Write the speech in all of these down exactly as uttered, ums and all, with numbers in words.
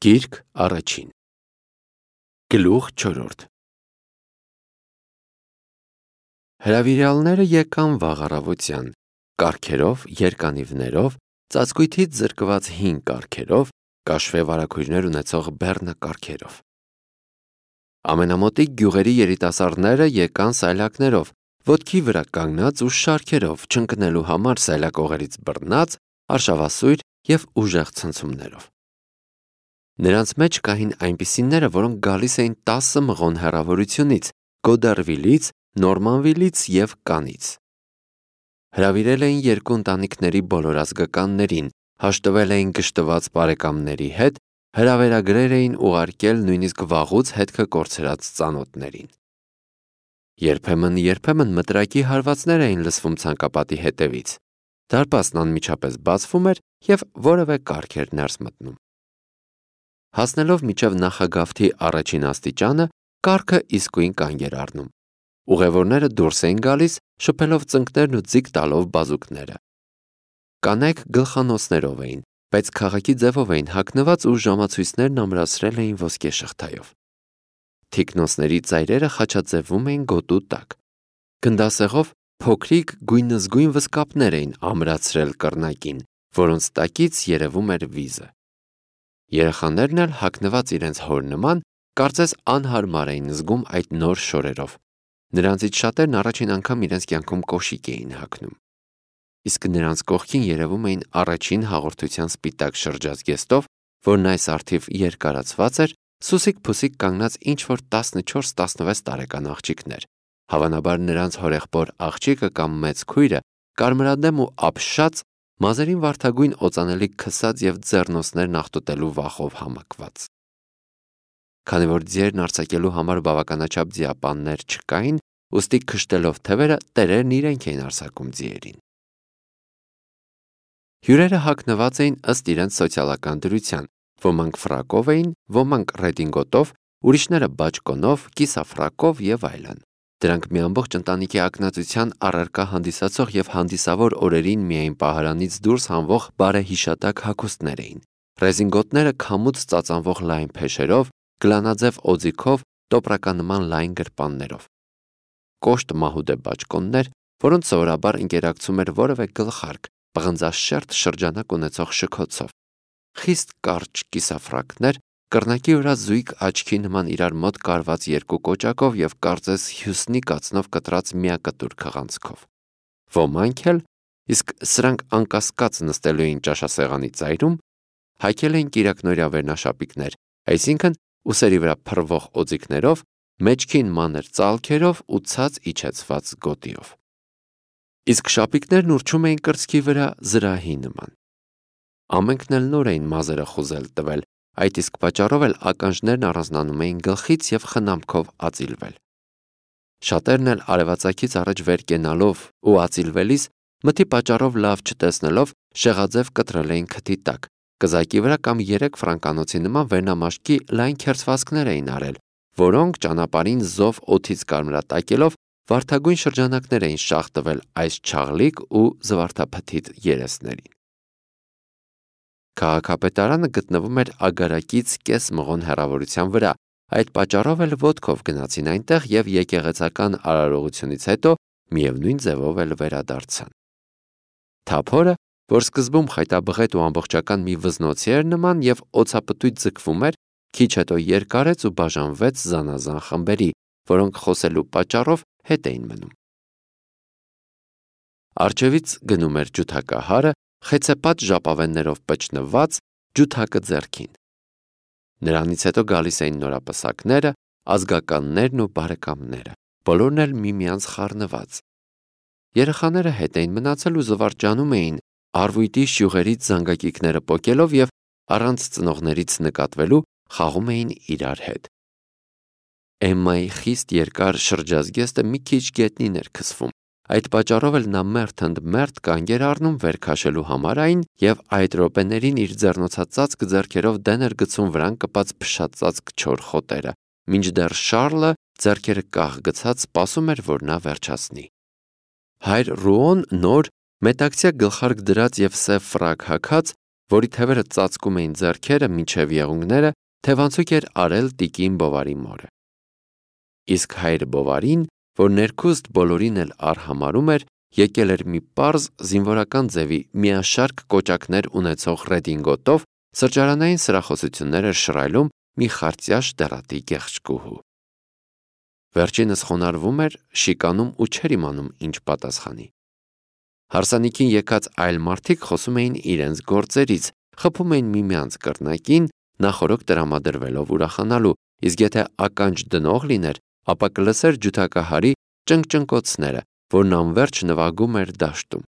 Գիրք առաջին Գլուխ չորրորդ Հրավիրյալները եկան վաղ առավոտյան, կառքերով, երկանիվներով, ծածկույթից զրկված հին կառքերով, կաշվե վարագույրներ ունեցող բեռնակառքերով։ Ամենամոտիկ գյուղերի երիտասարդները եկան սայլակներով, ոտքի վրա կանգնած ու շարքերով, չընկնելու համար սայլակողերից բռնած, արշավասույր և ուժեղ ցնցումներով։ Նրանց մեջ կային այնպիսիները, որոնք գալիս էին տասը մղոն հեռավորությունից, Գոդարվիլից, Նորմանվիլից և Կանից։ Հրավիրել էին երկու ընտանիքների բոլոր ազգականներին, հաշտվել էին գշտված բարեկամների հետ, հրավերագրեր էին ուղարկել նույնիսկ վաղուց հետքը կորցրած ծանոթներին։ Երբեմն-երբեմն մտրակի հարվածներ էին լսվում ցանկապատի հետևից։ Դարպասն անմիջապես բացվում էր և որևէ կառք էր ներս մտնում։ Հասնելով մինչև նախագավթի առաջին աստիճանը, կառքը իսկույն կանգ էր առնում։ Ուղևորները դուրս էին գալիս, շփելով ծնկներն ու ձիգ տալով բազուկները։ Կանայք գլխանոցներով էին, բայց քաղաքի ձևով էին հագնված ու ժամացույցներն ամրացրել էին ոսկե շղթայով։ Թիկնոնցների ծայրերը խաչաձևում էին գոտու տակ։ Գնդասեղով փոքրիկ գույնզգույն վզկապներ էին ամրացրել կռնակին, որոնց տակից երևում էր վիզը։ Երեխաներն էլ հագնված իրենց հոր նման, կարծես անհարմար էին զգում այդ նոր շորերով։ Նրանցից շատերն առաջին անգամ իրենց կյանքում կոշիկ էին հագնում։ Իսկ նրանց կողքին երևում էին առաջին հաղորդության սպիտակ շրջազգեստով, որն այս առթիվ երկարացված էր, սուսիկ-փուսիկ կանգնած ինչ-որ տասնչորս տասնվեց տարեկան աղջիկներ, հավանաբար նրանց հորեղբոր աղջիկը կամ մեծ քույրը, կարմրադեմ ու ապշած, մազերին վարդագույն օծանելիք քսած և ձեռնոցներն աղտոտելու վախով համակված։ Քանի որ ձիերն արձակելու համար բավականաչափ ձիապաններ չկային, ուստի քշտելով թևերը տերերն իրենք էին արձակում ձիերին։ Հյուրերը հագնված էին ըստ իրենց սոցիալական դրության, ոմանք ֆրակով էին, ոմանք ռեդինգոտով, ուրիշները բաճկոնով, կիսաֆրակով և այլն։ Դրանք մի ամբողջ ընտանիքի ակնածության առարկա հանդիսացող և հանդիսավոր օրերին միայն պահարանից դուրս հանվող բարեհիշատակ հագուստներ էին։ Ռեզինգոտները քամուց ծածանվող լայն փեշերով, գլանաձև օձիքով, տոպրականման լայն գրպաններով։ Կոշտ մահուդե բաճկոններ, որոնց սովորաբար ընկերակցում էր որևէ գլխարկ, պղնձաշերտ շրջանակ ունեցող շքոցով։ Խիստ կարճ կիսաֆրակներ, կռնակի վրա զույգ աչքի նման իրար մոտ կարված երկու կոճակով և կարծես հյուսնի կացնով կտրած միակտուր քղանցքով։ Ոմանք էլ, իսկ սրանք անկասկած նստելու էին ճաշասեղանի ծայրում, հագել էին կիրակնօրյա վերնաշապիկներ, այսինքն ուսերի վրա փռվող օձիքներով, մեջքին մանր ծալքերով ու ցած իջեցված գոտիով։ Իսկ շապիկներն ուռչում էին կրծքի վրա զրահի նման։ Ամենքն էլ նոր էին մազերը խուզել տվել, այդ իսկ պատճառով էլ ականջներն առանձնանում էին գլխից և խնամքով ածիլվել։ Շատերն էլ արևածագից առաջ վեր կենալով ու ածիլվելիս, մթի պատճառով լավ չտեսնելով, շեղաձև կտրել էին քթի տակ, կզակի վրա կամ երեք ֆրանկանոցի նման վերնամաշկի լայն քերծվածքներ էին արել, որոնք ճանապարհին զով օդից կարմրատակելով վարդագույն շրջանակներ էին շաղ տվել այս չաղլիկ ու զվարթափթիթ երեսներին։ Քաղաքապետարանը գտնվում էր ագարակից կես մղոն հեռավորության վրա, այդ պատճառով էլ ոտքով գնացին այնտեղ և եկեղեցական արարողությունից հետո միևնույն ձևով էլ վերադարձան։ Թափորը, որ սկզբում խայտաբղետ ու ամբողջական մի վզնոցի էր նման և օձապտույտ ձգվում էր, քիչ հետո երկարեց ու բաժանվեց զանազան խմբերի, որոնք խոսելու պատճառով հետ էին մնում։ Առջևից գնում էր ջութակահարը, խեցեպատ ժապավեններով պճնված, ջութակը ձեռքին։ Նրանից հետո գալիս էին նորապսակները, ազգականներն ու բարեկամները, բոլորն էլ միմյանց խառնված։ Երեխաները հետ էին մնացել ու զվարճանում էին, առվույտի շյուղերից զանգակիկները պոկելով և առանց ծնողներից նկատվելու խաղում էին իրար հետ։ Էմմայի խիստ երկար շրջազգեստը մի քիչ գետնին էր քսվում, այդ պատճառով էլ նա մերթ ընդ մերթ կանգ էր առնում վեր քաշելու համար այն և այդ րոպեներին իր ձեռնոցածածկ ձեռքերով դեն էր գցում վրան կպած փշածածկ չոր խոտերը, մինչդեռ Շառլը ձեռքերը կախ գցած սպասում էր, որ նա վերջացնի։ Հայր Ռուոն նոր, մետաքսյա գլխարկ դրած և սև ֆրակ հագած, որի թևերը ծածկում էին ձեռքերը մինչև եղունգները, թևանցուկ էր արել տիկին Բովարի մորը։ Իսկ հայր Բովարին, որ ներքուստ բոլորին էլ արհամարում էր, եկել էր մի պարզ զինվորական ձևի միաշարք կոճակներ ունեցող ռեդինգոտով, սրճարանային սրախոսություններ էր շռայլում մի խարծյաշ դեռատի գեղեցկուհու։ Վերջինս խոնարհվում էր, շիկանում ու չէր իմանում ինչ պատասխանի։ Հարսանիքին եկած այլ մարդիկ խոսում էին իրենց գործերից, խփում էին միմյանց կրնակին, նախօրոք տրամադրվելով ուրախանալու, իսկ եթե ականջ դնող լիներ, ապա կլսեր ջութակահարի ճնգճնկոցները, որն անվերջ նվագում էր դաշտում։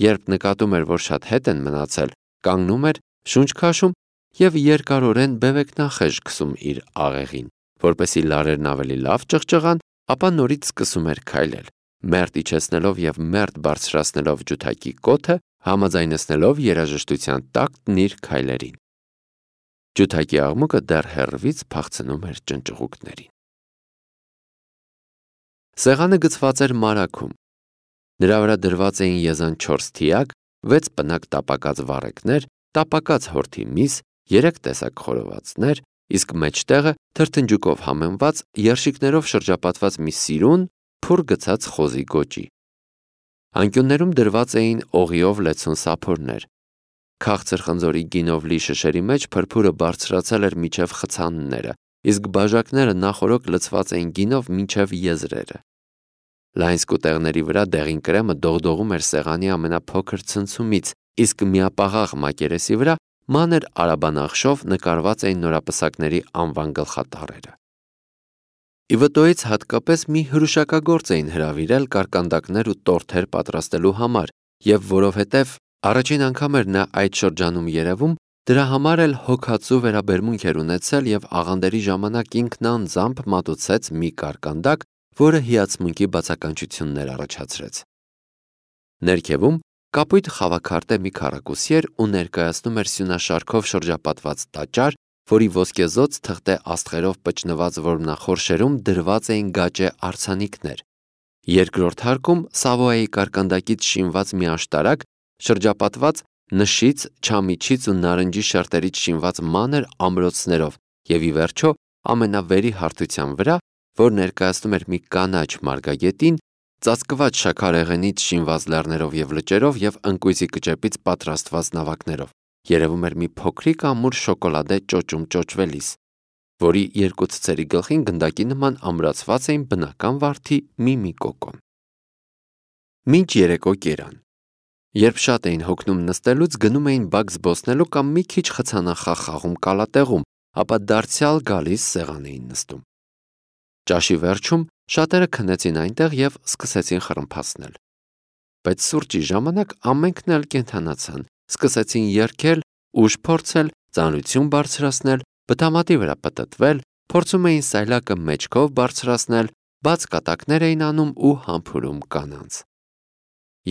Երբ նկատում էր, որ շատ հետ են մնացել, կանգնում էր, շունչ քաշում և երկարորեն բևեկնախեժ քսում իր աղեղին, որպեսզի լարերն ավելի լավ ճղճղան, ապա նորից սկսում էր քայլել, մերթ իջեցնելով և մերթ բարձրացնելով ջութակի կոթը, համաձայնեցնելով երաժշտության տակտն իր քայլերին։ Ջութակի աղմուկը դեռ հեռվից փախցնում էր ճնճղուկներին։ Սեղանը գցված էր մարագում։ Նրա վրա դրված էին եզան չորս թիակ, վեց պնակ տապակած վառեկներ, տապակած հորթի միս, երեք տեսակ խորովածներ, իսկ մեջտեղը թրթնջուկով համեմված երշիկներով շրջապատված մի սիրուն, փուռ գցած խոզի գոճի։ Անկյուններում դրված էին օղիով լեցուն սափորներ։ Քաղցր խնձորի գինով լի շշերի մեջ փրփուրը բարձրացել էր մինչև խցանները, իսկ բաժակները նախօրոք լցված էին գինով մինչև եզրերը։ Լայն սկուտեղների վրա դեղին կրեմը դողդողում էր սեղանի ամենափոքր ցնցումից, իսկ միապաղաղ մակերեսի վրա մանր արաբանախշով նկարված էին նորապսակների անվան գլխատառերը։ Ի վտոյից հատկապես մի հրուշակագործ էին հրավիրել կարկանդակներ ու տորթեր պատրաստելու համար, և որովհետև առաջին անգամ էր նա այդ շրջանում երևում, դրա համար էլ հոգածու վերաբերմունք էր ունեցել և աղանդերի ժամանակ ինքն անձամբ մատուցեց մի կարկանդակ, որը հիացմունքի բացականչություններ առաջացրեց։ Ներքևում կապույտ խավաքարտե մի քառակուսի էր ու ներկայացնում էր սյունաշարքով շրջապատված տաճար, որի ոսկեզօծ թղթե աստղերով պճնված որմնախորշերում դրված էին գաճե արձանիկներ։ Երկրորդ հարկում Սավոյայի կարկանդակից շինված մի աշտարակ, շրջապատված նշից, չամիչից ու նարնջի շերտերից շինված մանր ամրոցներով, և ի վերջո ամենավերի հարթության վրա, որ ներկայացնում էր մի կանաչ մարգագետին, ծածկված շաքարեղենից շինված լեռներով և լճերով և ընկույզի կճեպից պատրաստված նավակներով, երևում էր մի փոքրիկ ամուր շոկոլադե ճոճում ճոճվելիս, որի երկու ցցերի գլխին գնդակի նման ամրացված էին բնական վարդի մի-մի կոկոն։ Մինչ երեկո կերան։ Երբ շատ էին հոգնում նստելուց, գնում էին բակ զբոսնելու կամ մի քիչ խցանախաղ խաղում կալատեղում, ապա դարձյալ գալիս սեղան էին նստում։ Ճաշի վերջում շատերը քնեցին այնտեղ և սկսեցին խռմփացնել։ Բայց սուրճի ժամանակ ամենքն էլ կենդանացան, սկսեցին երգել, ուժ փորձել, ծանրություն բարձրացնել, բթամատի վրա պտտվել, փորձում էին սայլակը մեջքով բարձրացնել, բաց կատակներ էին անում ու համբուրում կանանց։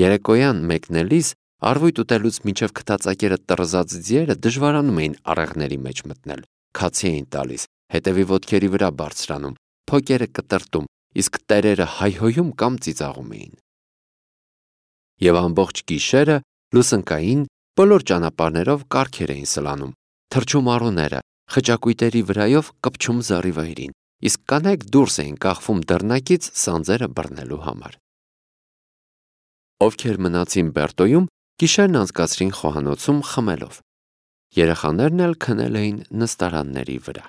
Երեկոյան մեկնելիս, առվույթ ուտելուց մինչև քթածակերը տռզած ձիերը դժվարանում էին աղեղների մեջ մտնել, քացի էին տալիս, հետևի ոտքերի վրա բարձրանում, փոկերը կտրտում, իսկ տերերը հայհոյում կամ ծիծաղում էին։ Եվ ամբողջ գիշերը լուսնկային բոլոր ճանապարհներով կառքեր էին սլանում, թռչում առուները, խճակույտերի վրայով կպչում զառիվայրին, իսկ կանայք դուրս էին կախվում դռնակից սանձերը բռնելու համար։ Ովքեր մնացին Բերտոյում, գիշերն անցկացրին խոհանոցում խմելով։ Երեխաներն էլ քնել էին նստարանների վրա։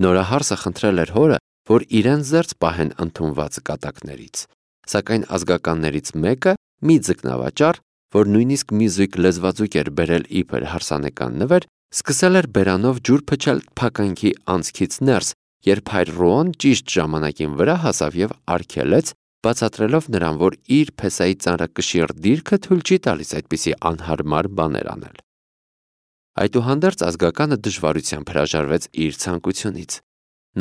Նորահարսը խնդրել էր հորը, որ իրեն զերծ պահեն ընդունված կատակներից, սակայն ազգականներից մեկը, մի ձկնավաճառ, որ նույնիսկ մի զույգ լեզվաձուկ էր բերել իբր հարսանեկան նվեր, սկսել էր բերանով ջուր փչել փականքի անցքից ներս, երբ հայր Ռոան ճիշտ ժամանակին վրա հասավ և արգելեց, բացատրելով նրան, որ իր փեսայի ծանրակշիռ դիրքը թույլ չի տալիս այդպիսի անհարմար բաներ անել։ Այդուհանդերձ ազգականը դժվարությամբ հրաժարվեց իր ցանկությունից։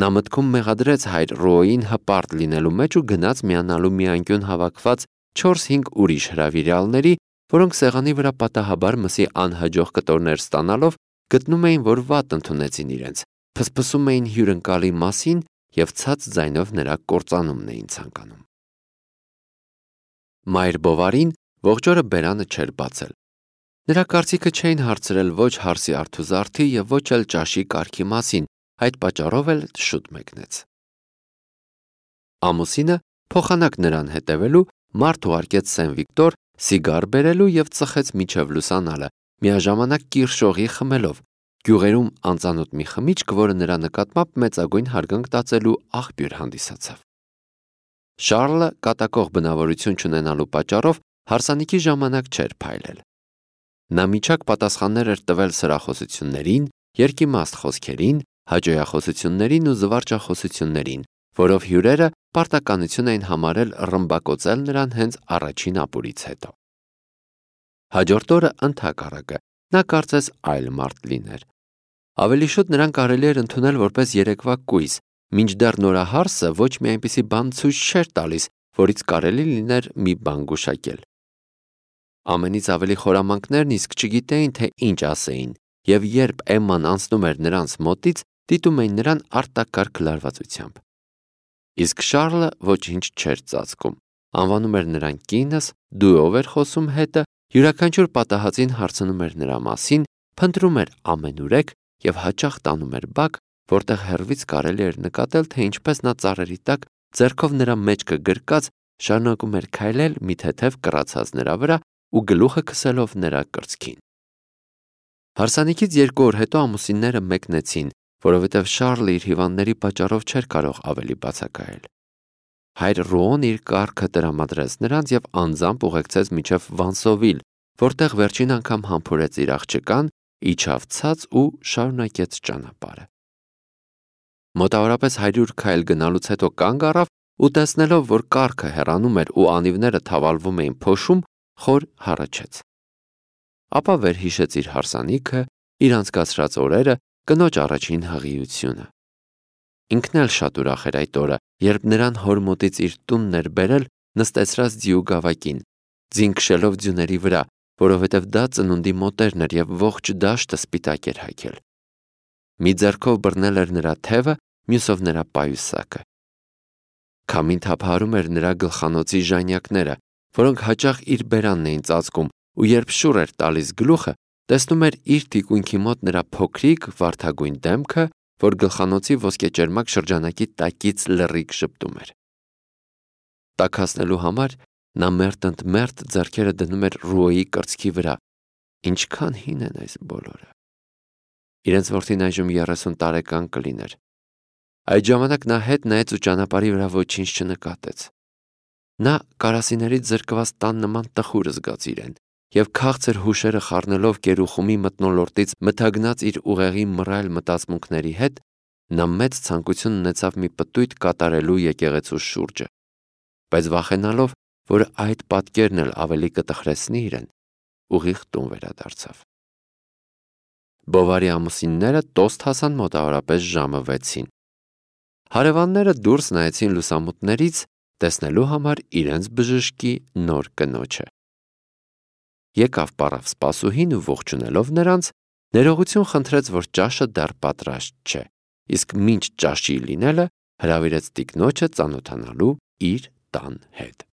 Նա մտքում մեղադրեց հայր Ռոային հպարտ լինելու մեջ ու գնաց միանալու մի անկյուն հավաքված չորս-հինգ ուրիշ հրավիրյալների, որոնք սեղանի վրա պատահաբար մսի անհաջող կտորներ ստանալով, գտնում էին, որ վատ ընդունեցին իրենց, փսփսում էին հյուրընկալի մասին և ցած ձայնով նրա կործանումն էին ցանկանում։ Մայր Բովարին ողջ օրը բերանը չէր բացել։ Նրա կարծիքը չէին հարցրել ոչ հարսի արթուզարդի եւ ոչ էլ ճաշի կարգի մասին, այդ պատճառով էլ շուտ մեկնեց։ Ամուսինը փոխանակ նրան հետևելու մարդ ուղարկեց Սեն Վիկտոր սիգար բերելու եւ ծխեց միջև լուսանալը, միաժամանակ կիրշողի խմելով, գյուղերում անծանոթ մի խմիչք, որը նրա նկատմամբ մեծագույն հարգանք տածելու աղբյուր հանդիսացավ։ Շարլը կատակող բնավորություն չունենալու պատճառով հարսանիքի ժամանակ չէր փայլել։ Նա միջակ պատասխաններ էր տվել սրախոսություններին, երկիմաստ խոսքերին, հաճոյախոսություններին ու զվարճախոսություններին, որով հյուրերը պարտականություն էին համարել ռմբակոծել նրան հենց առաջին ապուրից հետո։ Հաջորդ օրը ընդհակառակը նա կարծես այլ մարդ լիներ։ Ավելի շուտ նրան կարելի էր ընդունել որպես երեկվա կույս, մինչդեռ նորահարսը ոչ մի այնպիսի բան ցույց չէր տալիս, որից կարելի լիներ մի բան գուշակել։ Ամենից ավելի խորամանկներն իսկ չգիտեին, թե ինչ ասեին, եւ երբ Էմման անցնում էր նրանց մոտից, դիտում էին նրան արտակարգ լարվածությամբ։ Իսկ Շարլը ոչինչ չէր ծածկում, անվանում էր նրան կինս, դուով էր խոսում հետը, յուրաքանչյուր պատահածին հարցնում էր նրա մասին, փնտրում էր ամենուրեք եւ հաճախ տանում էր բակ, որտեղ հեռվից կարելի էր նկատել, թե ինչպես նա ծառերի տակ ձեռքով նրա մեջքը գրկած շարունակում էր քայլել մի թեթև կռացած նրա վրա ու գլուխը քսելով նրա կրծքին։ Հարսանիքից երկու օր հետո ամուսինները մեկնեցին, որովհետև Շարլը իր հիվանդների պատճառով չէր կարող ավելի բացակայել։ Հայր Ռոոն իր կառքը տրամադրեց նրանց եւ անձամբ ուղեկցեց մինչև Վանսովիլ, որտեղ վերջին անգամ համբուրեց իր աղջկան, իջավ ցած ու շարունակեց ճանապարհը։ Մոտավորապես հարյուր քայլ գնալուց հետո կանգ առավ ու տեսնելով, որ կառքը հեռանում էր ու անիվները թավալվում էին փոշում, խոր հառաչեց։ Ապա վերհիշեց իր հարսանիքը, իր անցկացրած օրերը, կնոջ առաջին հղիությունը։ Ինքն էլ շատ ուրախ էր այդ օրը, երբ նրան հոր մոտից իր տունն էր բերել նստեցրած ձիու գավակին, ձին քշելով ձյուների վրա, որովհետև դա ծնունդի մոտերն էր եւ ողջ դաշտը սպիտակ էր հագել։ Մի ձեռքով բռնել էր նրա թևը, մյուսով նրա պայուսակը։ Քամին թափահարում էր նրա գլխանոցի ժանյակները, որոնք հաճախ իր բերանն էին ծածկում, ու երբ շուռ էր տալիս գլուխը, տեսնում էր իր թիկունքի մոտ նրա փոքրիկ վարդագույն դեմքը, որ գլխանոցի ոսկեճերմակ շրջանակի տակից լռիկ շպտում էր։ Տաքացնելու համար նա մերթընդմերթ ձեռքերը դնում էր Ռուոյի կրծքի վրա։ Ինչքան հին են այս բոլորը։ Իրենց որդին այժմ երեսուն տարեկան կլիներ։ Այդ ժամանակ նա հետ նայեց ու ճանապարհի վրա ոչինչ չնկատեց։ Նա կարասիներից զրկված տան նման տխուր զգաց իրեն, եւ քաղցր հուշերը խառնելով կերուխումի մթնոլորտից մթագնած իր ուղեղի մռայլ մտածմունքների հետ, նա մեծ ցանկություն ունեցավ մի պտույտ կատարելու եկեղեցու շուրջը, բայց վախենալով, որ այդ պատկերն էլ ավելի կտխրեցնի իրեն, ուղիղ տուն վերադարձավ։ Բովարի ամուսինները տոստ հասան մոտավորապես ժամը վեցին։ Հարևանները դուրս նայեցին լուսամուտներից, տեսնելու համար իրենց բժշկի նոր կնոջը։ Եկավ պարավ սպասուհին ու ողջունելով նրանց, ներողություն խնդրեց, որ ճաշը դեռ պատրաստ չէ, իսկ մինչ ճաշի լինելը հրավիրեց տիկնոջը ծանոթանալու իր տան հետ։